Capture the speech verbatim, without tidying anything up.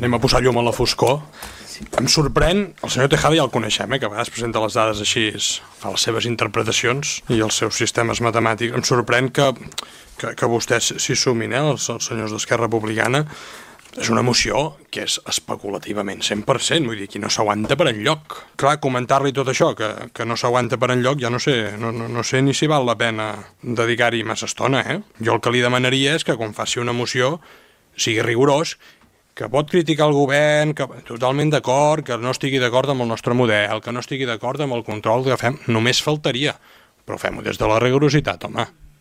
anem a posar llum a la foscor. Em sorprèn, el senyor Tejada ja el coneixem, eh, que a vegades presenta les dades així, fa les seves interpretacions i els seus sistemes matemàtics. Em sorprèn que, que, que vostès s'hi sumin, eh, els, els senyors d'Esquerra Republicana. És una moció que és especulativament cent per cent, vull dir, que no s'aguanta per enlloc. Clar, comentar-li tot això, que, que no s'aguanta per enlloc, ja no sé, no, no, no sé ni si val la pena dedicar-hi massa estona, eh? Jo el que li demanaria és que quan faci una moció sigui rigorós, que pot criticar el govern, que totalment d'acord, que no estigui d'acord amb el nostre model, que no estigui d'acord amb el control que fem, només faltaria, però fem-ho des de la rigorositat, home.